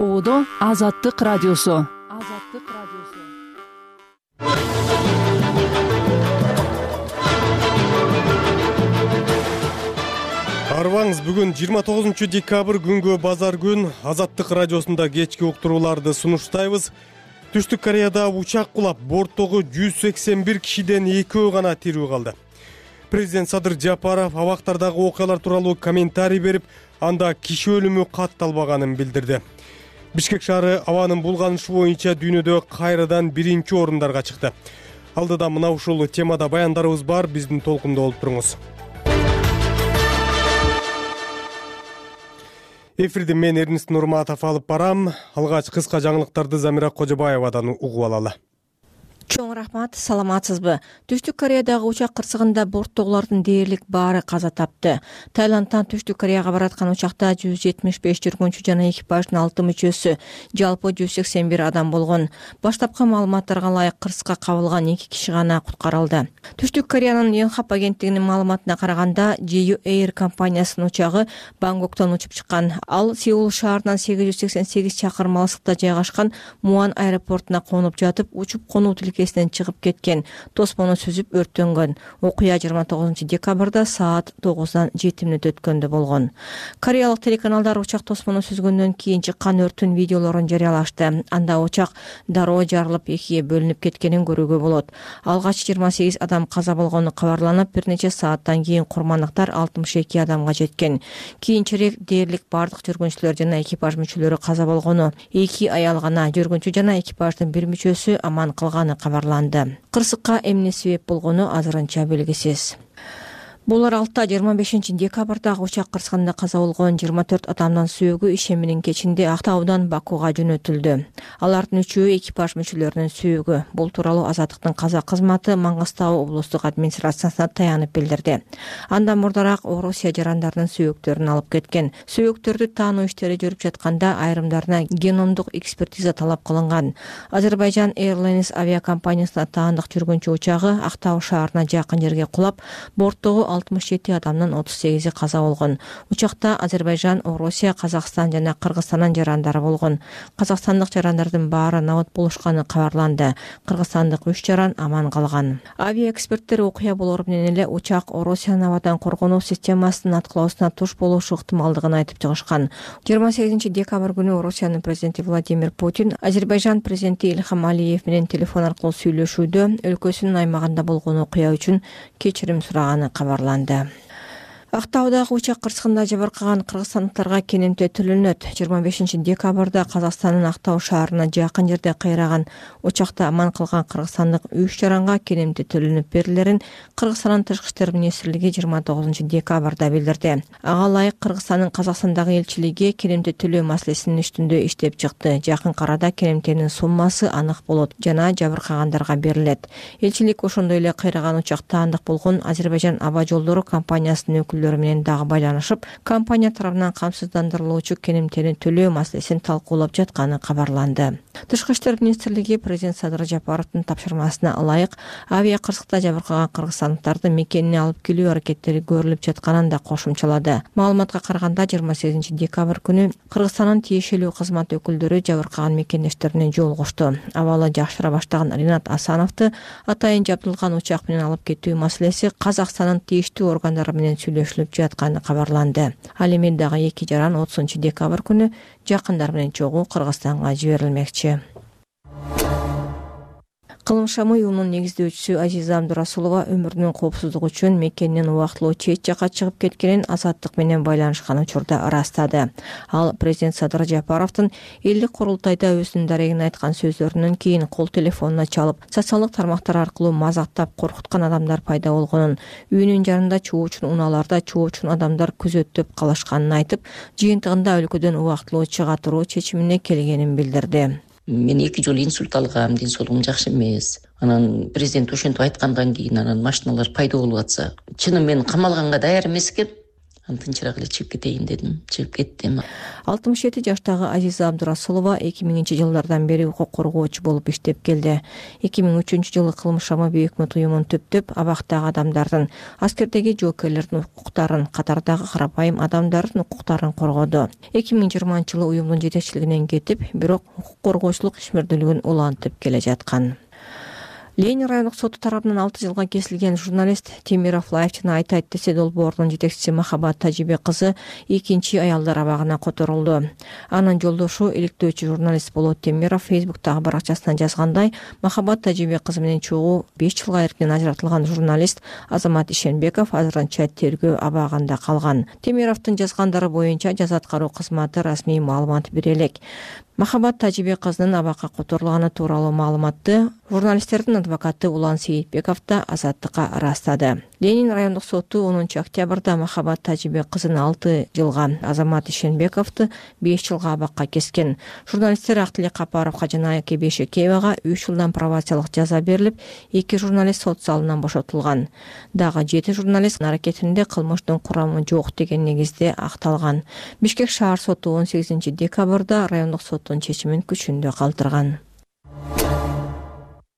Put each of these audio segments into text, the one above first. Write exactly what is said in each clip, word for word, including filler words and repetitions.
Оодо Азаттык радиосу. Азаттык радиосу. Арбаңыз, бүгүн жыйырма тогузунчу декабрь күнгө базар күн. Азаттык радиосунда кечки уктурууларды сунуштайбыз. Түштүк Кореяда учак кулап, борттогу жүз сексен бир кишиден экөө гана тирүү калды. Президент Садыр Жапаров абактардагы окуялар тууралуу комментарий берип, анда киши өлүмү катталбаганын билдирди. Бишкек шаары абанын булганышы боюнча дүйнөдө кайрадан биринчи орундарга чыкты. Алдыда мына ушул темада баяндарыбыз бар, биздин толкунда болуп туруңуз. Эфирди мен Эрнест Нурматов алып барам. Алгач кыска жаңылыктарды Замира Кожобаевадан угуп алалы. Чоң рахмат, саламатсызбы? Түштүк Кореядагы учак кырсыгында борттогулардын дээрлик баары каза тапты. Таиландтан Түштүк Кореяга бараткан учакта жүз жетимиш беш жүргүнчү жана экипаждын алты мүчөсү, жалпы жүз сексен бир адам болгон. Баштапкы маалыматтарга ылайык кырсыкка кабылган эки киши гана куткарылды. Түштүк Кореянын Йонхап агенттигинин маалыматына караганда, Jeju Air компаниясынын учагы Бангкоктон учуп чыккан. Ал Сеул шаарынан сегиз жүз сексен сегиз чакырым алыстыкта жайгашкан Муан аэропортуна конуп жатып, учуп конуу тилкесинен чыгып кеткен. Тосмону сүзүп өрттөнгөн. Окуя жыйырма тогузунчу декабрда саат тогуздан жети мүнөт өткөндө болгон. Кореялык телеканалдар учак тосмону сүзгөндөн кийин чыккан өрттүн видеолорун жарыялашты. Анда учак дароо жарылып, экиге бөлүнүп кеткенин көрүүгө болот. Алгач жыйырма сегиз адам каза болгону кабарланып, бир нече сааттан кийин курмандыктар алтымыш эки адамга жеткен. Кийинчерээк дээрлик бардык жүргүнчүлөр жана экипаж мүчөлөрү каза болгону, эки аял гана жүргүнчү жана экипаждын бир мүчөсү аман калганы кабарланды. Кырсыкка эмне себеп болгону азырынча белгисиз. Бул аралыкта жыйырма бешинчи декабрдагы учак кырсыгында каза болгон жыйырма төрт адамдын сөөгү ишеминин кечинде Актаудан Бакуга жөнөтүлдү. Алардын үчөө экипаж мүчөлөрүнүн сөөгү. Бул тууралуу Азаттыктын каза кызматы Мангыстау облустук администрациясына таянып билдирди. Андан мурдараак Орусия жарандарынын сөөктөрүн алып кеткен. Сөөктөрдү таануу иштери жүрүп жатканда айрымдарына геномдук экспертиза талап кылынган. Азербайжан Airlines авиакомпаниясына таандык жүргүнчү учагы Актау шаарына жакын жерге кулап, борттогу алтымыш жети адамдын отуз сегизи каза болгон. Учакта Азербайжан, Орусия, Казакстан жана Кыргызстандын жарандары болгон. Казакстандык жарандардын баары набыт болушканы кабарланды. Кыргызстандык үч жаран аман калган. Авиаэксперттер окуя болору менен эле учак Орусиянын абадан коргонуу системасынын аткылоосуна туш болушу ыктымалдыгын айтып чыгышкан. жыйырма сегизинчи декабрь күнү Орусиянын президенти Владимир Путин Азербайжан президенти Ильхам Алиев менен телефон аркылуу сүйлөшүүдө өлкөсүнүн аймагында болгон окуя үчүн кечирим сураганы кабарланды. Актаудагы учак кырсыгында жабыркаган кыргызстандыктарга кенемте төлөнөт. жыйырма бешинчи декабрда Казакстандын Актау шаарына жакын жерде кыйраган учакта аман калган кыргызстандык үч жаранга кенемте төлөнүп берилерин Кыргызстандын тышкы иштер министрлиги жыйырма тогузунчу декабрда билдирди. Ага ылайык Кыргызстандын Казакстандагы элчилиги кенемте төлөө маселесинин үстүндө иштеп чыкты. Жакын арада кенемтенин суммасы анык болот жана жабыркагандарга берилет. Элчилик ошондой эле кыйраган учакта андык болгон Азербайжан аба жолдору компаниясынын өкүлдөрү менен дагы байланышып, компания тарабынан камсыздандырылуучу кенемтени төлөө маселесин талкуулап жатканы кабарланды. Тышкы иштер министрлиги президент Садыр Жапаровдун тапшырмасына ылайык авиа кырсыкта жабыркаган кыргызстандыктарды мекенине алып келүү аракеттери көрүлүп жатканын да кошумчалады. Маалыматка караганда жыйырма сегизинчи декабрь күнү Кыргызстандын тиешелүү кызмат өкүлдөрү жабыркаган мекендештерине жолугушту. Абалы жакшыра баштаган Ринат Асановду атайын жабдылган учак менен алып кетүү маселеси Казакстандын тийиштүү органдары менен сүйлөшүлүп жатканы кабарланды. Ал эми дагы эки жаран отузунчу декабрь күнү жакындар менен чогуу Кыргызстанга жиберилмекчи. Кылымшам уюмунун негиздөөчүсү Азиза Абдурасулова өмүрүнүн коопсуздугу үчүн мекенинен убактылуу чет жакка чыгып кеткенин Азаттык менен байланышкан учурда ырастады. Ал президент Садыр Жапаровдун элдик курултайда өзүнүн дарегин айткан сөздөрүнөн кийин кол телефонуна чалып, социалдык тармактар аркылуу мазактап коркуткан адамдар пайда болгонун, үйүнүн жанында чоочун унааларда чоочун адамдар күзөттөп калышканын айтып, жыйынтыгында өлкөдөн убактылуу чыга туруу чечимине келгенин билдирди. Мен эки жолу инсульт алгам, ден соолугум жакшы эмес. Анан президент ошентип айткандан кийин анан машиналар пайда болуп атса, чыным мен камалганга даяр эмес экен. тынчыраак эле чыгып кетейин дедим. Чыгып кеттим. алтымыш жети жаштагы Азиза Абдурасулова эки миңинчи жылдардан бери укук коргоочу болуп иштеп келди. эки миң үчүнчү жылы кылмыш шамы өкмөт уюмун түптөп, абактагы адамдардын, аскердеги жоокерлердин укуктарын, катардагы карапайым адамдардын укуктарын коргоду. эки миң жыйырманчы жылы уюмдун жетекчилигинен кетип, бирок укук коргоочулук ишмердүүлүгүн улантып келе жаткан. Ленин райондук соту тарабынан алты жылга кесилген журналист Темиров Лайфчина айтайт десе долбоорунун жетекчиси Махабат Тажибек кызы экинчи аялдар абагына которулду. Анын жолдошу иликтөөчү журналист Болот Темиров Фейсбуктагы баракчасынан жазгандай, Махабат Тажибек кызы менен чогуу беш жылга эркинен ажыратылган журналист Азамат Ишенбеков азырынча тергөө абагында калган. Темировдун жазгандары боюнча жаза аткаруу кызматы расмий маалымат бере элек. Махабат Тажибек кызынын абакка которулганы тууралуу маалыматты журналисттердин адвокаты Улан Сейитбеков да Азаттыкка ырастады. Ленин райондук соту онунчу октябрда Махабат Тажибек кызын алты жылга, Азамат Ишенбековду беш жылга абакка кескен. Журналисттер Актилек Капаровго жана Айке Бейшекеевага үч жылдан пробациялык жаза берилип, эки журналист сот залынан бошотулган. Дагы жети журналист аракетинде кылмыштын курамы жок деген негизде акталган. Бишкек шаар соту он сегизинчи декабрда райондук соттун чечимин күчүндө калтырган.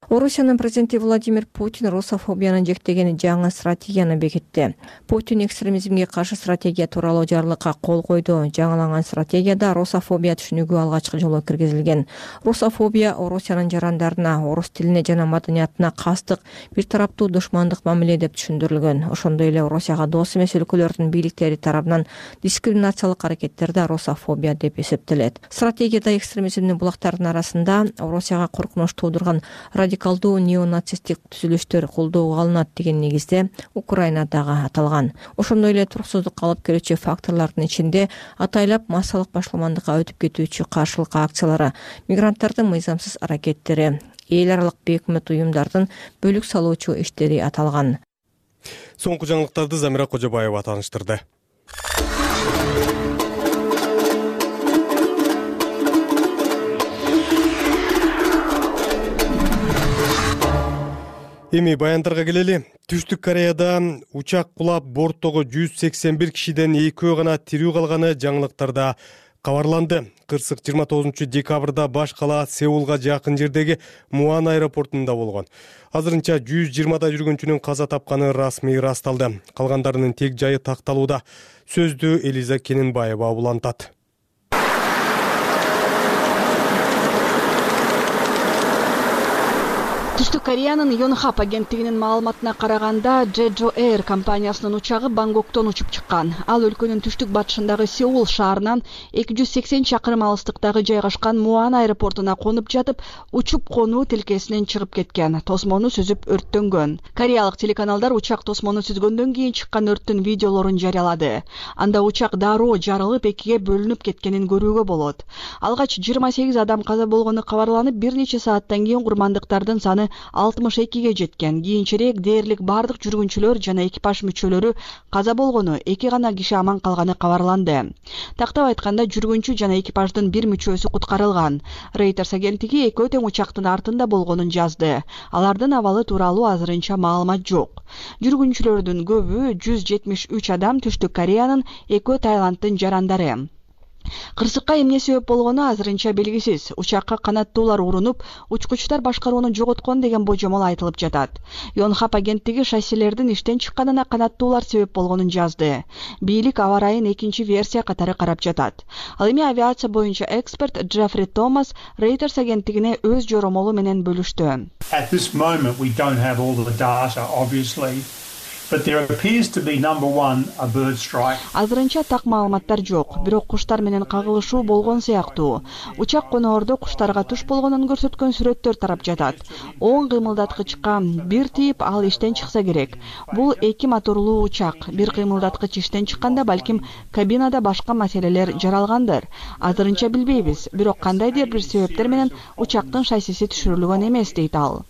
Орусиянын президенти Владимир Путин русофобияны жектеген жаңы стратегияны бекитти. Путин экстремизмге каршы стратегия тууралуу жарлыкка кол койду. Жаңыланган стратегияда русофобия түшүнүгү алгачкы жолу киргизилген. Русофобия Орусиянын жарандарына, орус тилине жана маданиятына кастык, бир тараптуу душмандык мамиле деп түшүндүрүлгөн. Ошондой эле Орусияга дос эмес өлкөлөрдүн бийликтери тарабынан дискриминациялык аракеттер да русофобия деп эсептелет. Стратегияда экстремизмдин булактарынын арасында Орусияга коркунуч туудурган радикалдуу неонацисттик түзүлүштөр колдоого алынат деген негизде Украинадагы аталган. Ошондой эле туруксуздукка алып келүүчү факторлордун ичинде атайлап массалык башламандыкка өтүп кетүүчү каршылык акциялары, мигранттардын мыйзамсыз аракеттери, эл аралык бейөкмөт уюмдардын бөлүк салуучу иштери аталган. Соңку жаңылыктарды Замира Кожобаева тааныштырды. Эми баяндарга келели. Түштүк Кореяда учак кулап борттогу жүз сексен бир кишиден экөө гана тирүү калганы жаңылыктарда кабарланды. Кырсык жыйырма тогузунчу декабрда баш кала Сеулга жакын жердеги Муан аэропортунда болгон. Азырынча жүз жыйырмадай жүргүнчүнүн каза тапканы расмий ырасталды. Калгандарынын тек жайы такталууда. Сөздү Элиза Кененбаева улантат. Түштүк Кореянын Yonhap агенттигинин маалыматына караганда, Jeju Air компаниясынын учагы Бангкоктон учуп чыккан. Ал өлкөнүн түштүк батышындагы Сеул шаарынан эки жүз сексен чакырым алыстыктагы жайгашкан Муан аэропортуна конуп жатып, учуп конуу тилкесинен чыгып кеткен. Тосмону сүзүп өрттөнгөн. Кореялык телеканалдар учак тосмону сүзгөндөн кийин чыккан өрттүн видеолорун жарыялады. Анда учак дароо жарылып, экиге бөлүнүп кеткенин көрүүгө болот. Алгач жыйырма сегиз адам каза болгону кабарланып, бир нече сааттан кийин курмандыктардын саны алтымыш экиге жеткен. Кийинчерээк дээрлик бардык жүргүнчүлөр жана экипаж мүчөлөрү каза болгону, эки гана киши аман калганы кабарланды. Тактап айтканда, жүргүнчү жана экипаждын бир мүчөсү куткарылган. Reuters агенттиги экөө тең учактын артында болгонун жазды. Алардын абалы тууралуу азырынча маалымат жок. Жүргүнчүлөрдүн көбү жүз жетимиш үч адам Түштүк Кореянын, экөө Таиланддын жарандары. Кырсыкка эмне себеп болгону азырынча белгисиз. Учакка канаттуулар урунуп, учкучтар башкарууну жоготкон деген божомол айтылып жатат. Yonhap агенттиги шассилердин иштен чыкканына канаттуулар себеп болгонун жазды. Бийлик аба ырайын экинчи версия катары карап жатат. Ал эми авиация боюнча эксперт Джеффри Томас Reuters агенттигине өз жоромолу менен бөлүштү. At this moment we don't have all the data, obviously. But there appears to be number one a bird strike. Азырынча так маалыматтар жок, бирок куштар менен кагылышуу болгон сыяктуу. Учак коноордо куштарга туш болгонун көрсөткөн сүрөттөр тарап жатат. Оң кыймылдаткычка бир тийип, ал иштен чыкса керек. Бул эки моторлуу учак. Бир кыймылдаткыч иштен чыкканда балким кабинада башка маселелер жаралгандыр. Азырынча билбейбиз, бирок кандайдыр бир себептер менен учактын шассиси түшүрүлгөн эмес, дейт ал.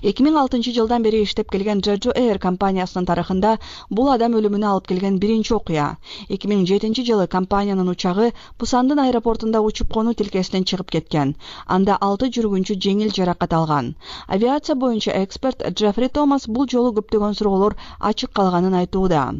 эки миң алтынчы жылдан бери иштеп келген Jeju Air компаниясынын тарыхында бул адам өлүмүнө алып келген биринчи окуя. эки миң жетинчи жылы компаниянын учагы Пусандын аэропортунда учуп конуу тилкесинен чыгып кеткен. Анда алты жүргүнчү жеңил жаракат алган. Авиация боюнча эксперт Джеффри Томас бул жолу көптөгөн суроолор ачык калганын айтууда.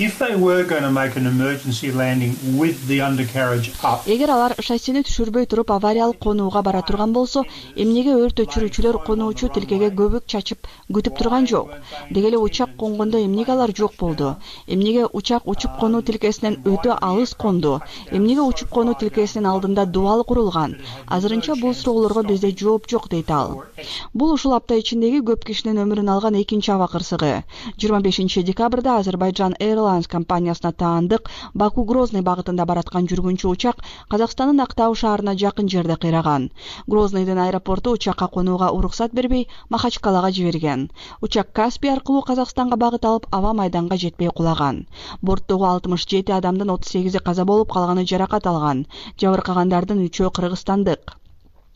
If they were going to make an emergency landing with the undercarriage up. Эгер алар шассини түшүрбөй туруп авариялык конууга бара турган болсо, эмнеге өрт өчүрүүчүлөр конуучу тилкеге көбүк чачып күтүп турган жок? Деги эле учак конгондо эмнеге алар жок болду? Эмнеге учак учуп конуу тилкесинен өтө алыс конду? Эмнеге учуп конуу тилкесинин алдында дубал курулган? Азырынча бул суроолорго бизде жооп жок дейт ал. Бул ушул апта ичиндеги көп кишинин өмүрүн алган экинчи аба кырсыгы. жыйырма бешинчи декабрда Азербайджан Airlines компаниясына таандык Баку-Грозный багытында бараткан жүргүнчү учак Казакстандын Актау шаарына жакын жерде кыйраган. Грознойдун аэропорту учакка конууга уруксат бербей Махачкалага жиберген. Учак Каспий аркылуу Казакстанга багыт алып аба майданга жетпей кулаган. Борттогу алтымыш жети адамдын отуз сегизи каза болуп, калганы жаракат алган. Жабыркагандардын үчөө кыргызстандык.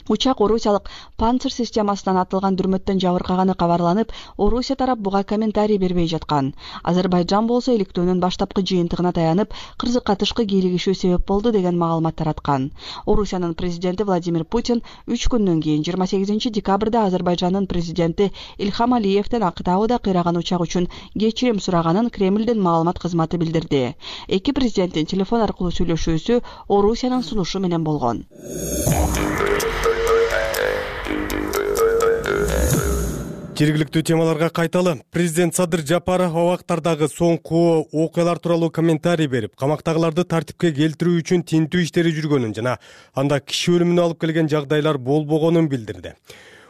Учак Орусиялык Панцир системасынан атылган дүрмөттөн жабыркаганы кабарланып, Орусия тарап буга комментарий бербей жаткан. Азербайджан болсо иликтөөнүн баштапкы жыйынтыгына таянып, кырсыкка тышкы кийлигишүү себеп болду деген маалымат тараткан. Орусиянын президенти Владимир Путин үч күндөн кийин жыйырма сегизинчи декабрда Азербайджандын президенти Ильхам Алиевден Актауда кыйраган учак үчүн кечирим сураганын Кремлдин маалымат кызматы билдирди. Эки президенттин телефон аркылуу сүйлөшүүсү Орусиянын сунушу менен болгон. Жергиликтүү темаларга кайталы. Президент Садыр Жапаров абактардагы соңку окуялар тууралуу комментарий берип, камактагыларды тартипке келтирүү үчүн тинтүү иштери жүргөнүн жана анда киши өлүмүнө алып келген жагдайлар болбогонун билдирди.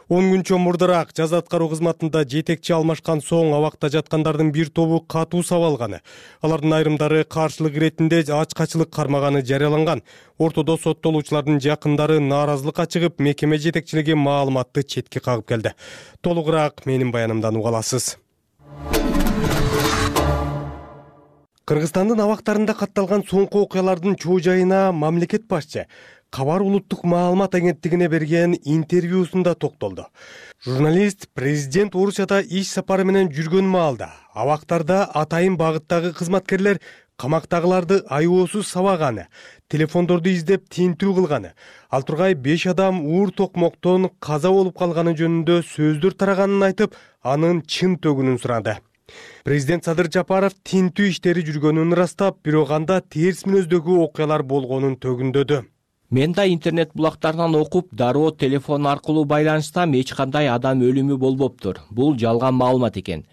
он күнчө мурдараак жаза аткаруу кызматында жетекчи алмашкан соң абакта жаткандардын бир тобу катуу сабалганы. Алардын айрымдары каршылык иретинде ачкачылык кармаганы жарыяланган. Ортодо соттолуучулардын жакындары нааразылыкка чыгып, мекеме жетекчилиги маалыматты четке кагып келди. Толугураак менин баянымдан уга аласыз. Кыргызстандын абактарында катталган соңку окуялардын чоо жайына мамлекет башчы Кабар улуттук маалымат агенттигине берген интервьюсунда токтолду. Журналист президент Орусияда иш сапары менен жүргөн маалда абактарда атайын багыттагы кызматкерлер камактагыларды айоосуз сабаганы, телефондорду издеп тинтүү кылганы, ал тургай беш адам уур токмоктон каза болуп калганы жөнүндө сөздөр тараганын айтып, анын чын төгүнүн сурады. Президент Садыр Жапаров тинтүү иштери жүргөнүн ырастап, бирок анда терс мүнөздөгү окуялар болгонун төгүндөдү. Мен да интернет булактарынан окуп, дароо телефон аркылуу байланышсам эч кандай адам өлүмү болбоптур. Бул жалган маалымат экен.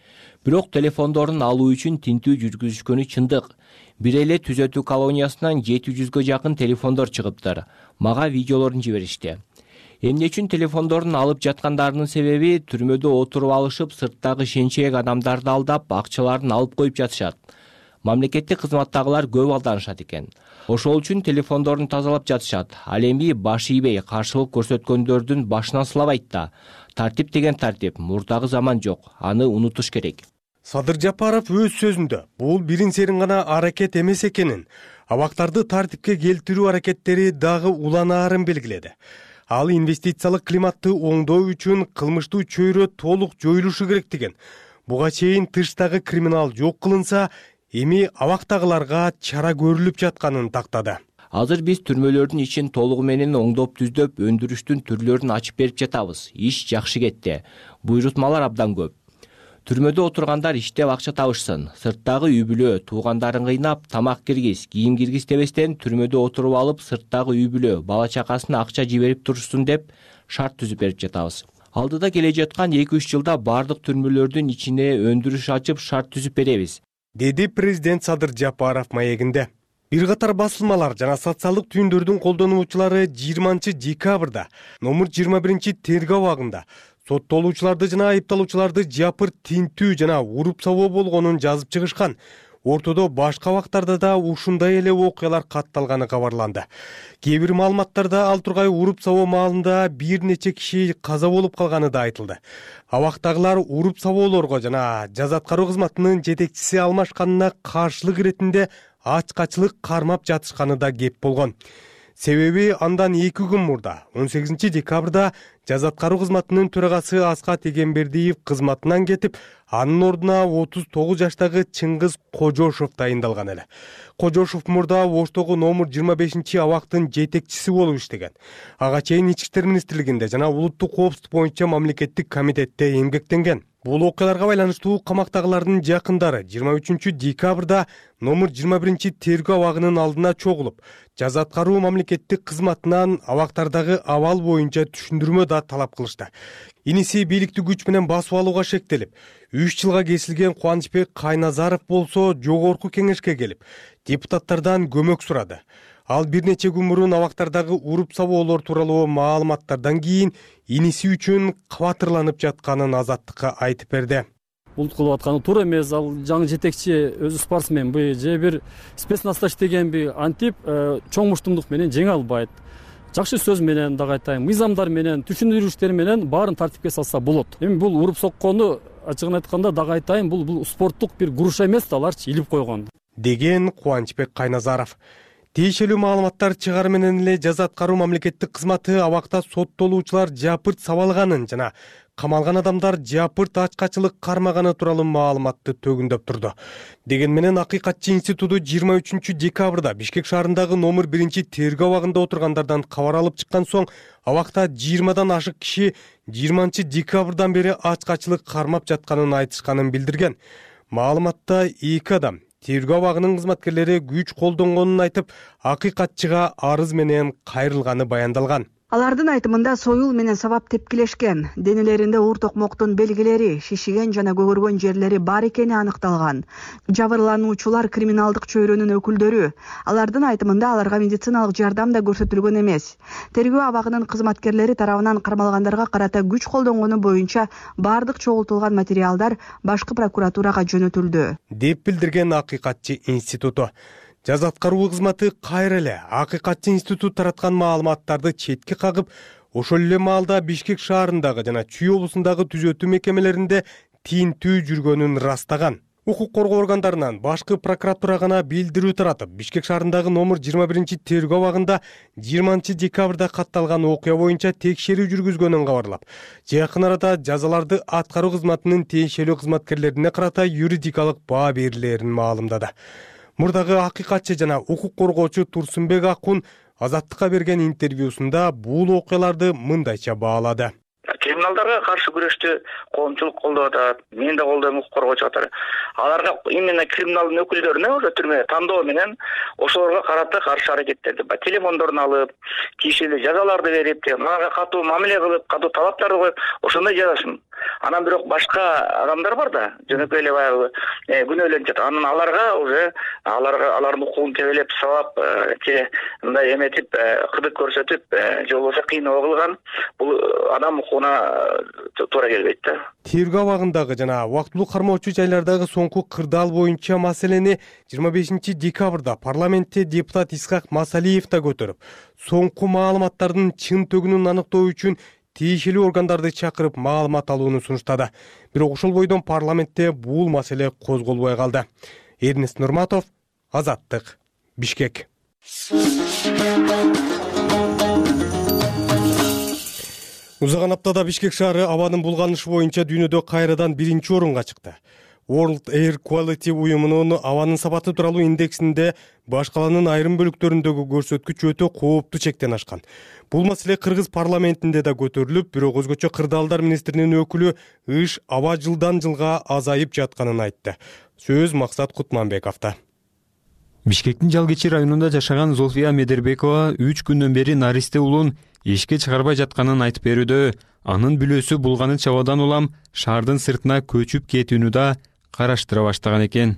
Бирок телефондорун алуу үчүн тинтүү жүргүзүшкөнү чындык. Бир эле түзөтүү колониясынан жети жүзгө жакын телефондор чыгыптыр. Мага видеолорун жиберишти. Эмне үчүн телефондорун алып жаткандарынын себеби түрмөдө отуруп алышып, сырттагы шенчеек адамдарды алдап, акчаларын алып коюп жатышат. Мамлекеттик кызматтагылар көп алданышат экен. Ошол үчүн телефондорун тазалап жатышат. Ал эми баш ийбей каршылык көрсөткөндөрдүн башынан сылабайт да. Тартип деген тартип, мурдагы заман жок. Аны унутуш керек. Садыр Жапаров өз сөзүндө бул бирин серин гана аракет эмес экенин, абактарды тартипке келтирүү аракеттери дагы уланаарын белгиледи. Ал инвестициялык климатты оңдоо үчүн кылмыштуу чөйрө толук жоюлушу керектигин, буга чейин тыштагы криминал жок кылынса, эми абактагыларга чара көрүлүп жатканын тактады. Азыр биз түрмөлөрдүн ичин толугу менен оңдоп түздөп, өндүрүштүн түрлөрүн ачып берип жатабыз. Иш жакшы кетти. Буйрутмалар абдан көп. Түрмөдө отургандар иштеп акча табышсын. Сырттагы үй бүлө, туугандарын кыйнап, тамак киргиз, кийим киргиз дебестен түрмөдө отуруп алып, сырттагы үй бүлө, бала чакасына акча жиберип турушсун деп шарт түзүп берип жатабыз. Алдыда келе жаткан эки үч жылда бардык түрмөлөрдүн ичине өндүрүш ачып шарт түзүп беребиз, деди президент Садыр Жапаров маегинде. Бир катар басылмалар жана социалдык түйүндөрдүн колдонуучулары жыйырманчы декабрда номер жыйырма биринчи тергөө абагында соттолуучуларды жана айыпталуучуларды жапыр тинтүү жана уруп сабоо болгонун жазып чыгышкан. Ортодо башка абактарда да ушундай эле окуялар катталганы кабарланды. Кээ бир маалыматтарда ал тургай уруп сабоо маалында бир нече киши каза болуп калганы да айтылды. Абактагылар уруп сабоолорго жана жаза аткаруу кызматынын жетекчиси алмашканына каршылык иретинде ачкачылык кармап жатышканы да кеп болгон. Себеби андан эки күн мурда он сегизинчи декабрда жаза аткаруу кызматынын төрагасы Аскат Эгембердиев кызматынан кетип, анын ордуна отуз тогуз жаштагы Чыңгыз Кожошов дайындалган эле. Кожошов мурда Оштогу номер жыйырма бешинчи абактын жетекчиси болуп иштеген. Ага чейин Ички иштер министрлигинде жана улуттук коопсуздук боюнча мамлекеттик комитетте эмгектенген. Бул окуяларга байланыштуу камактагылардын жакындары жыйырма үчүнчү декабрда номер жыйырма биринчи тергөө абагынын алдына чогулуп, жаза аткаруу мамлекеттик кызматынан абактардагы абал боюнча түшүндүрмө да талап кылышты. Иниси бийликти күч менен басып алууга шектелип, үч жылга кесилген Кубанычбек Кайназаров болсо жогорку кеңешке келип, депутаттардан көмөк сурады. Ал бир нече күн мурун абактардагы уруп сабоолор тууралуу маалыматтардан кийин иниси үчүн кабатырланып жатканын Азаттыкка айтып берди. Бул кылып атканы туура эмес. Ал жаңы жетекчи өзү спортсменби же бир спецназда иштегенби антип чоң муштумдук менен жеңе албайт. Жакшы сөз менен дагы айтайын, мыйзамдар менен, түшүндүрүштөр менен баарын тартипке салса болот. Эми бул уруп соккону ачыгын айтканда дагы айтайын, бул бул спорттук бир груша эмес да, аларчы илип койгон деген Кубанычбек Кайназаров. Тиешелүү маалыматтар чыгары менен эле жаза аткаруу мамлекеттик кызматы абакта соттолуучулар жапырт сабалганын жана камалган адамдар жапырт ачкачылык кармаганы тууралуу маалыматты төгүндөп турду. Деген менен Акыйкатчы институту жыйырма үчүнчү декабрда Бишкек шаарындагы номер биринчи тергөө абагында отургандардан кабар алып чыккан соң абакта жыйырмадан ашык киши жыйырманчы декабрдан бери ачкачылык кармап жатканын айтышканын билдирген. Маалыматта эки адам тергөө абагынын кызматкерлери күч колдонгонун айтып, Акыйкатчыга арыз менен кайрылганы баяндалган. Алардын айтымында союл менен сабап тепкилешкен, денелеринде уур токмоктун белгилери, шишиген жана көгөргөн жерлери бар экени аныкталган. Жабырлануучулар криминалдык чөйрөнүн өкүлдөрү. Алардын айтымында аларга медициналык жардам да көрсөтүлгөн эмес. Тергөө абагынын кызматкерлери тарабынан кармалгандарга карата күч колдонгону боюнча бардык чогултулган материалдар башкы прокуратурага жөнөтүлдү, деп билдирген Акыйкатчы институту. Жаза аткаруу кызматы кайра эле Акыйкатчы институт тараткан маалыматтарды четке кагып, ошол эле маалда Бишкек шаарындагы жана Чүй облусундагы түзөтүү мекемелеринде тинтүү жүргөнүн ырастаган. Укук коргоо органдарынан башкы прокуратура гана билдирүү таратып, Бишкек шаарындагы номер жыйырма биринчи тергөө абагында жыйырманчы декабрда катталган окуя боюнча текшерүү жүргүзгөнүн кабарлап, жакын арада жазаларды аткаруу кызматынын тиешелүү кызматкерлерине карата юридикалык баа берилерин маалымдады. Мурдагы Акыйкатчы жана укук коргоочу Турсунбек Акун Азаттыкка берген интервьюсунда бул окуяларды мындайча баалады. Криминалдарга каршы күрөштү коомчулук колдоп атат, мен да колдойм, укук коргоочу катары. Аларга именно криминалдын өкүлдөрүнө уже түрмө тандоо менен ошолорго карата каршы аракеттерди, телефондорун алып, тиешелүү жазаларды берип, аларга катуу мамиле кылып, катуу талаптарды коюп, ошондой жазашын. Анан бирок башка адамдар бар да, жөнөкөй эле баягы күнөөлөнүп жатат. Анан аларга уже аларга алардын укугун тебелеп, сабап, мындай эметип, кыдык көрсөтүп, же болбосо кыйноо кылган, бул адам укугуна туура келбейт да. Тергөө абагындагы жана убактылуу кармоочу жайлардагы соңку кырдаал боюнча маселени жыйырма бешинчи декабрда парламентте депутат Исхак Масалиев да көтөрүп, соңку маалыматтардын чын төгүнүн аныктоо үчүн тиешелүү органдарды чакырып маалымат алууну сунуштады. Бирок ошол бойдон парламентте бул маселе козголбой калды. Эрнест Нурматов, Азаттык, Бишкек. Узаган аптада Бишкек шаары абанын булганышы боюнча дүйнөдө кайрадан биринчи орунга чыкты. World Air Quality уюмунун абанын сапаты тууралуу индексинде баш каланын айрым бөлүктөрүндөгү көрсөткүч өтө кооптуу чектен ашкан. Бул маселе Кыргыз парламентинде да көтөрүлүп, бирок өзгөчө кырдаалдар министринин өкүлү ыш аба жылдан жылга азайып жатканын айтты. Сөз Максат Кутманбековдо. Бишкектин Жалгечи районунда жашаган Золфия Медербекова үч күндөн бери наристе улун эшикке чыгарбай жатканын айтып берүүдө. Анын бүлөсү булганыча абадан улам шаардын сыртына көчүп кетүүнү да караштыра баштаган экен.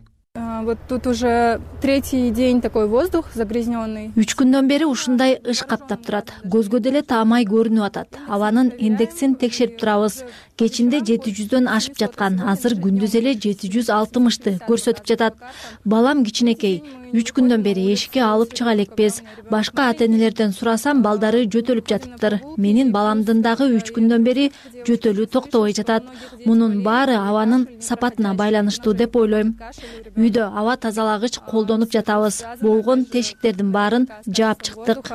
Вот тут уже третий день такой воздух загрязненный. Үч күндөн бери ушундай ыш каптап турат. Көзгө деле таамай көрүнүп атат. Абанын индексин текшерип турабыз. Кечинде жети жүздөн ашып жаткан, азыр күндүз эле жети жүз алтымышты көрсөтүп жатат. Балам кичинекей, үч күндөн бери эшикке алып чыга элекпиз. Башка ата-энелерден сурасам, балдары жөтөлүп жатыптыр. Менин баламдын дагы үч күндөн бери жөтөлүү токтобой жатат. Мунун баары абанын сапатына байланыштуу деп ойлойм. Үйдө аба тазалагыч колдонуп жатабыз. Болгон тешиктердин баарын жаап чыктык.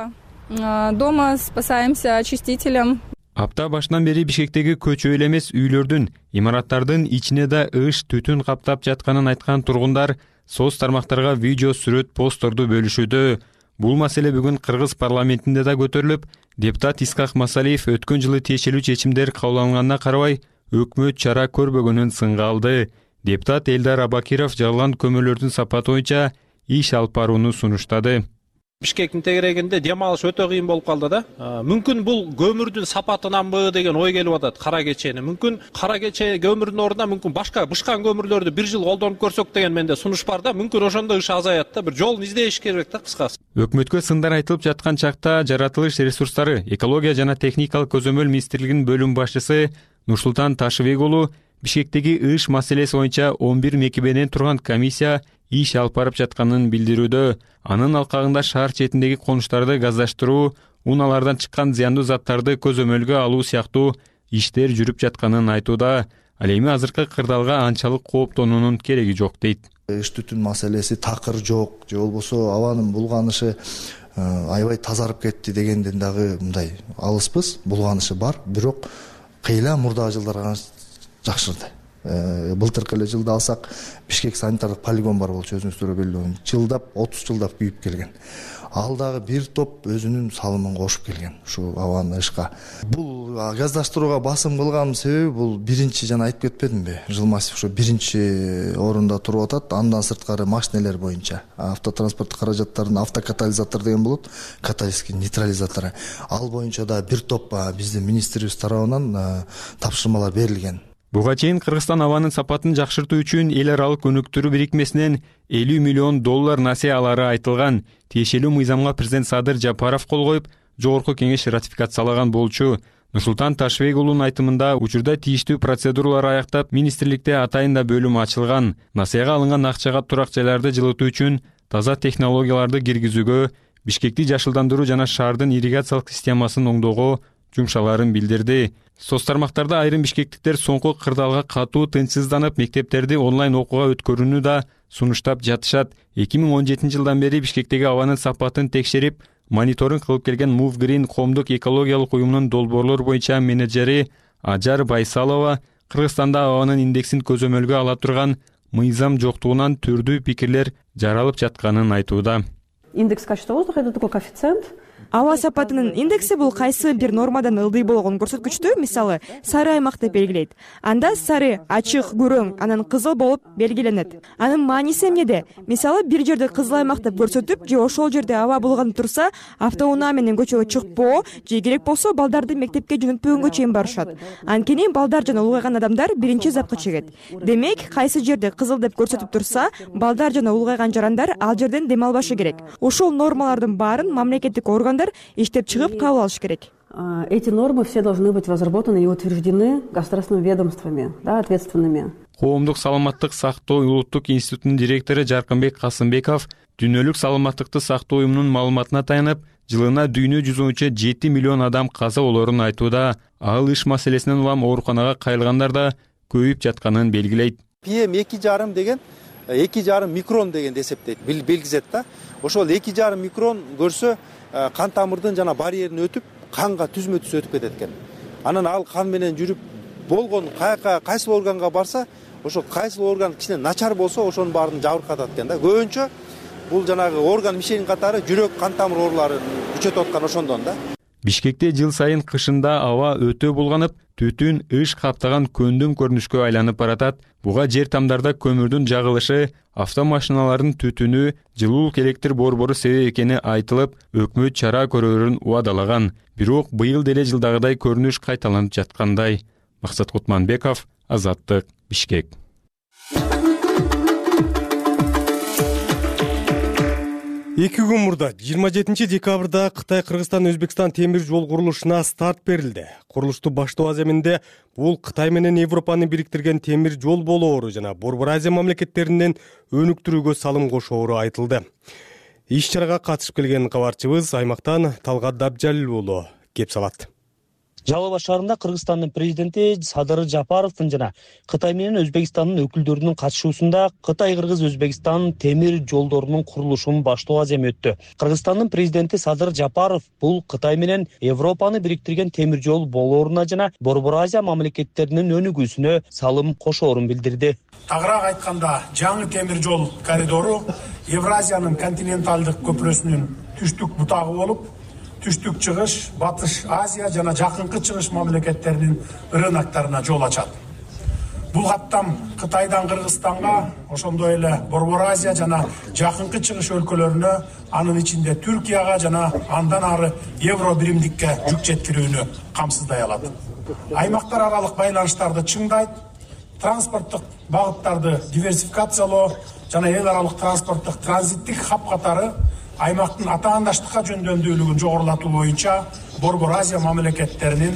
Дома спасаемся очистителем. Апта башынан бери Бишкектеги көчө эле эмес үйлөрдүн, имараттардын ичине да ыш түтүн каптап жатканын айткан тургундар соц тармактарга видео, сүрөт, постторду бөлүшүүдө. Бул маселе бүгүн Кыргыз парламентинде да көтөрүлүп, депутат Исхак Масалиев өткөн жылы тиешелүү чечимдер кабыл алынганына карабай, өкмөт чара көрбөгөнүн сынга алды. Депутат Элдар Абакиров жалган көмүрлөрдүн сапаты боюнча иш алып барууну сунуштады. Бишкектин тегерегинде дем алыш өтө кыйын болуп калды да. Мүмкүн бул көмүрдүн сапатынанбы деген ой келип атат кара кечени. Мүмкүн кара кече көмүрдүн ордуна мүмкүн башка бышкан көмүрлөрдү бир жыл колдонуп көрсөк деген менде сунуш бар да. Мүмкүн ошондо иш азаят да. Бир жолун издеш керек да кыскасы. Өкмөткө сындар айтылып жаткан чакта жаратылыш ресурстары, экология жана техникалык көзөмөл министрлигинин бөлүм башчысы Нурсултан Ташыбек уулу Бишкектеги ыш маселеси боюнча он бир мекемеден турган комиссия иш алып барып жатканын билдирүүдө. Анын алкагында шаар четиндеги конуштарды газдаштыруу, унаалардан чыккан зыяндуу заттарды көзөмөлгө алуу сыяктуу иштер жүрүп жатканын айтууда. Ал эми азыркы кырдаалга анчалык кооптонуунун кереги жок дейт. Ыш түтүн маселеси такыр жок, же болбосо абанын булганышы аябай тазарып кетти дегенден дагы мындай алыспыз. Булганышы бар, бирок кыйла мурдагы жылдарга жакшырды. Былтыркы эле жылда алсак, Бишкек санитардык полигон бар болчу, өзүңүздөр белгилүү. Жылдап, отуз жылдап күйүп келген. Ал дагы бир топ өзүнүн салымын кошуп келген ушу абаны ышка. Бул газдаштырууга басым кылганын себеби бул биринчи жана айтып кетпедимби? Жылмасов ошо биринчи орунда туруп атат. Андан сырткары машинелер боюнча автотранспорт каражаттарын автокатализатор деген болот, каталитический нейтрализатору. Ал боюнча да бир топ биздин министрибиз тарабынан тапшырмалар берилген. Буга чейин Кыргызстан абанын сапатын жакшыртуу үчүн эл аралык өнүктүрүү бирикмесинен элүү миллион доллар насыя алары айтылган. Тиешелүү мыйзамга президент Садыр Жапаров кол коюп, жогорку кеңеш ратификациялаган болчу. Нурсултан Ташыбек уулунун айтымында учурда тийиштүү процедуралар аяктап, министрликте атайында бөлүм ачылган. Насыяга алынган акчага турак жайларды жылытуу үчүн таза технологияларды киргизүүгө, Бишкекти жашылдандыруу жана шаардын ирригациялык системасын оңдоого жумшаларын билдирди. Соц тармактарда айрым бишкектиктер соңку кырдаалга катуу тынчсызданып, мектептерди онлайн окууга өткөрүүнү да сунуштап жатышат. эки миң он жетинчи жылдан бери Бишкектеги абанын сапатын текшерип, мониторинг кылып келген Move Green коомдук экологиялык уюмунун долбоорлор боюнча менеджери Ажар Байсалова Кыргызстанда абанын индексин көзөмөлгө ала турган мыйзам жоктугунан түрдүү пикирлер жаралып жатканын айтууда. Индекс качества воздуха — это такой коэффициент. Аба сапатынын индекси бул кайсы бир нормадан ылдый болгон көрсөткүчтү, мисалы, сары аймак деп белгилейт. Анда сары, ачык, күрөң, анан кызыл болуп белгиленет. Анын мааниси эмнеде? Мисалы, бир жерде кызыл аймак деп көрсөтүп, же ошол жерде аба булганып турса, автоунаа менен көчөгө чыкпоо, же керек болсо балдарды мектепке жөнөтпөгөнгө чейин барышат. Анткени балдар жана улгайган адамдар биринчи запка чегет. Демек, кайсы жерде кызыл деп көрсөтүп турса, балдар жана улгайган жарандар ал жерден дем албашы керек. Ошол нормалардын баарын мамлекеттик органдар иштеп чыгып кабыл алыш керек. Эти нормы все должны быть разработаны и утверждены государственными ведомствами, да, ответственными. Коомдук саламаттык сактоо улуттук институтунун директору Жаркынбек Касымбеков дүйнөлүк саламаттыкты сактоо уюмунун маалыматына таянып, жылына дүйнө жүзү боюнча жети миллион адам каза болорун айтууда. Ал иш маселесинен улам ооруканага кайрылгандар да көбөйүп жатканын белгилейт. пи эм эки жарым деген эки жарым микрон дегенди эсептейт, билгизет да. Ошол эки жарым микрон көрсө кан тамырдын жана барьерин өтүп, канга түзмө түз өтүп кетет экен. Анан ал кан менен жүрүп болгон каяка кайсыл органга барса, ошол кайсыл орган кичине начар болсо, ошонун баарын жабыркатат экен да. Көбүнчө бул жанагы орган мишенин катары жүрөк, кан тамыр ооруларын күчөтүп аткан ошондон да. Бишкекте жыл сайын кышында аба өтө булганып, түтүн ыш каптаган көндүм көрүнүшкө айланып баратат. Буга жер тамдарда көмүрдүн жагылышы, автомашиналардын түтүнү, жылуулук электр борбору себеп экени айтылып, өкмөт чара көрөрүн убадалаган. Бирок быйыл деле жылдагыдай көрүнүш кайталанып жаткандай. Максат Кутманбеков, Азаттык, Бишкек. эки күн мурда жыйырма жетинчи декабрда Кытай Кыргызстан Өзбекстан темир жол курулушуна старт берилди. Курулушту баштоо аземинде бул Кытай менен Европаны бириктирген темир жол болоору жана Борбор Азия мамлекеттеринен өнүктүрүүгө салым кошоору айтылды. Иш чарага катышып келген кабарчыбыз аймактан Талгат Дабжалил уулу кеп салат. Жалал Абад шаарында Кыргызстандын президенти Садыр Жапаровдун жана Кытай менен Өзбекстандын өкүлдөрүнүн катышуусунда Кытай-Кыргыз-Өзбекстан темир жолдорунун курулушунун баштоо аземи өттү. Кыргызстандын президенти Садыр Жапаров бул Кытай менен Европаны бириктирген темир жол болооруна жана Борбор Азия мамлекеттеринин өнүгүүсүнө салым кошоорун билдирди. Тагыраак айтканда, жаңы темир жол коридору Евразиянын континенталдык көпүрөсүнүн түштүк бутагы болуп, түштүк чыгыш, батыш Азия жана жакынкы чыгыш мамлекеттеринин рынокторуна жол ачат. Бул каттам Кытайдан Кыргызстанга, ошондой эле Борбор Азия жана жакынкы чыгыш өлкөлөрүнө, анын ичинде Түркияга жана андан ары евро биримдикке жүк жеткирүүнү камсыздай алат. Аймактар аралык байланыштарды чыңдайт, транспорттук багыттарды диверсификациялоо жана эл аралык транспорттук транзиттик хаб катары аймактын атаандаштыкка жөндөмдүүлүгүн жогорулатуу боюнча Борбор Азия мамлекеттеринин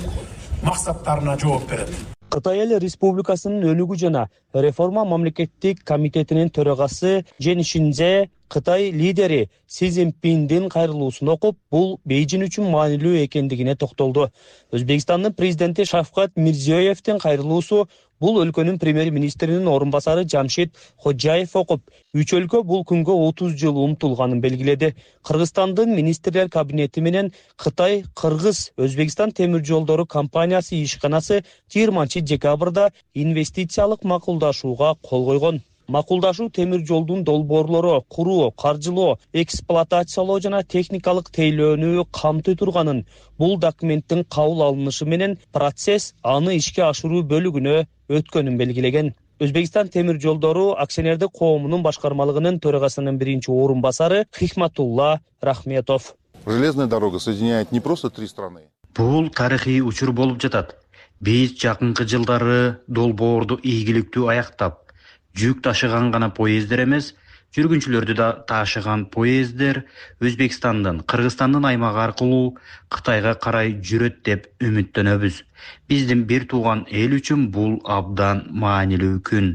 максаттарына жооп берет. Кытай Эл Республикасынын өнүгүү жана реформа мамлекеттик комитетинин төрагасы Жен Шинзе Кытай лидери Си Цзиньпиндин кайрылуусун окуп, бул Бейжин үчүн маанилүү экендигине токтолду. Өзбекстандын президенти Шавкат Мирзиёевдин кайрылуусу бул өлкөнүн премьер-министринин орун басары Жамшид Ходжаев окуп, үч өлкө бул күнгө отуз жыл умтулганын белгиледи. Кыргызстандын министрлер кабинети менен Кытай Кыргыз Өзбекстан темир жолдору компаниясы ишканасы жыйырманчы декабрда инвестициялык макулдашууга кол койгон. Макулдашуу темир жолдун долбоорлору куруу, каржылоо, эксплуатациялоо жана техникалык тейлөөнү камтый турганын, бул документтин кабыл алынышы менен процесс аны ишке ашыруу бөлүгүнө өткөнүн белгилеген. Өзбекстан темир жолдору акционердик коомунун башкармалыгынын төрагасынын биринчи орун басары Хикматулла Рахметов. Железная дорога соединяет не просто три страны. Бул тарыхый учур болуп жатат. Биз жакынкы жылдары долбоорду ийгиликтүү аяктап, жүк ташыган гана поездер эмес, жүргүнчүлөрдү да ташыган поездер Өзбекстандын, Кыргызстандын аймагы аркылуу Кытайга карай жүрөт деп үмүттөнөбүз. Биздин бир тууган эл үчүн бул абдан маанилүү күн.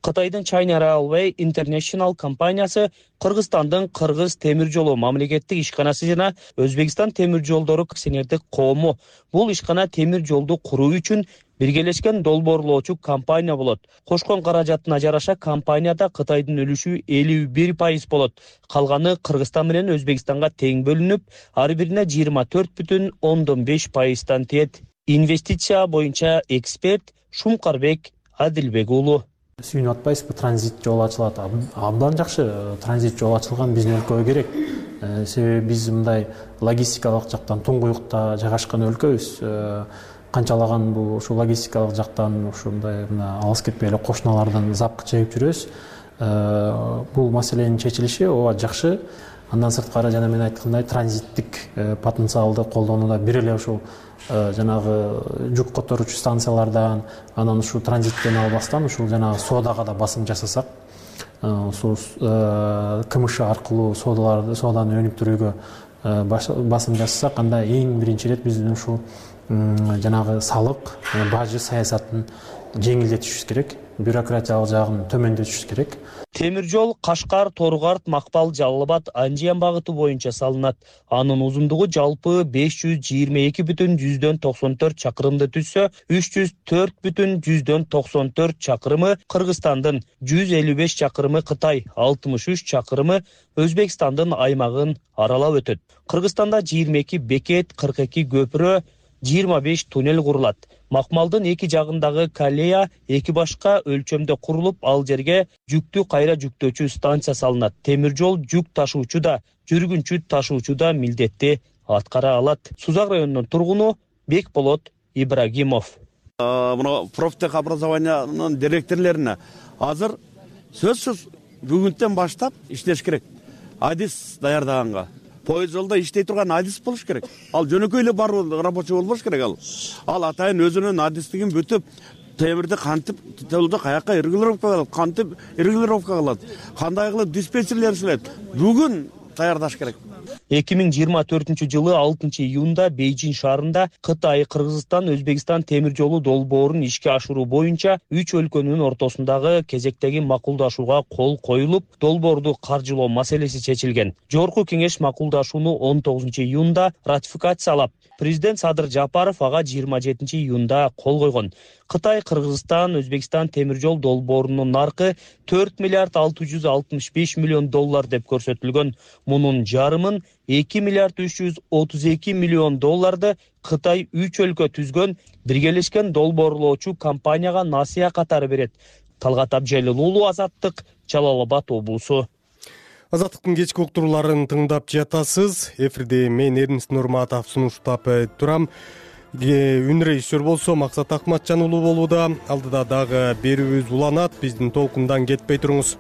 Кытайдын China Railway International компаниясы Кыргызстандын Кыргыз темир жолу мамлекеттик ишканасы жана Өзбекстан темир жолдору акционердик коому. Бул ишкана темир жолду куруу үчүн биргелешкен долбоорлоочу компания болот. Кошкон каражатына жараша компанияда Кытайдын үлүшү элүү бир пайыз болот. Калганы Кыргызстан менен Өзбекстанга тең бөлүнүп, ар бирине жыйырма төрт бүтүн ондон беш пайыздан тиет. Инвестиция боюнча эксперт Шумкарбек Адилбек уулу. Сүйүнүп атпайсызбы, транзит жол ачылат. Абдан жакшы транзит жол ачылган биздин өлкөгө керек. Себеби биз мындай логистикалык жактан туңгуюкта жайгашкан өлкөбүз. Канчалаган бул ушу логистикалык жактан ушундай мына алыс кетпей эле кошуналардан запкы чегип жүрөбүз. Бул маселенин чечилиши ооба жакшы. Андан сырткары жана мен айткандай транзиттик потенциалды колдонууда бир эле ушул жанагы жүк которуучу станциялардан, анан ушул транзиттен албастан ушул жанагы соодага да басым жасасак, ушул КМШ аркылуу соодаларды, сооданы өнүктүрүүгө басым жасасак, анда эң биринчи ирет биздин ушул жанагы салык, бажы саясатын жеңилдетишибиз керек, бюрократиялык жагын төмөндөтүшүбүз керек. Темир жол Кашкар, Торгарт, Макпал, Жалал Абад, Анжиян багыты боюнча салынат. Анын узундугу жалпы беш жүз жыйырма эки бүтүн жүздөн токсон төрт чакырымды түзсө, үч жүз төрт бүтүн жүздөн токсон төрт чакырымы Кыргызстандын, жүз элүү беш чакырымы Кытай, алтымыш үч чакырымы Өзбекстандын аймагын аралап өтөт. Кыргызстанда жыйырма эки бекет, кырк эки көпүрө, жыйырма беш туннель курулат. Макмалдын эки жагындагы колея эки башка өлчөмдө курулуп, ал жерге жүктү кайра жүктөөчү станция салынат. Темир жол жүк ташуучу да, жүргүнчү ташуучу да милдетти аткара алат. Сузак районунун тургуну Бекболот Ибрагимов. Мына профтех образованиянын директорлоруна азыр сөзсүз бүгүнтөн баштап иштеш керек. Адис даярдаганга. Поезд жолдо иштей турган адис болуш керек. Ал жөнөкөй эле баруу рабочий болбош керек ал. Ал атайын өзүнүн адистигин бүтүп, темирди кантип жолдо каяка регулировка кылат, кантип регулировка кылат, кандай кылып диспетчерлер иштейт. Бүгүн даярдаш керек. эки миң жыйырма төртүнчү жылы алтынчы июнда Бейжин шаарында Кытай, Кыргызстан, Өзбекстан темир жолу долбоорун ишке ашыруу боюнча үч өлкөнүн ортосундагы кезектеги макулдашууга кол коюлуп, долбоорду каржылоо маселеси чечилген. Жогорку кеңеш макулдашууну он тогузунчу июнда ратификациялап, президент Садыр Жапаров ага жыйырма жетинчи июнда кол койгон. Кытай, Кыргызстан, Өзбекстан темир жол долбоорунун наркы төрт миллиард алты жүз алтымыш беш миллион доллар деп көрсөтүлгөн. Мунун жарымын эки миллиард үч жүз отуз эки миллион долларды Кытай үч өлкө түзгөн биргелешкен долбоорлоочу компанияга насыя катары берет. Талгат Абжалил уулу, Азаттык, Жалал Абад облусу. Азаттыктын кечки уктурууларын тыңдап жатасыз. Эфирде мен Эрнис Нурматов сунуштап турам. Үн режиссер болсо Максат Акматжан уулу болууда. Алдыда дагы берүүбүз уланат. Биздин толкундан кетпей туруңуз.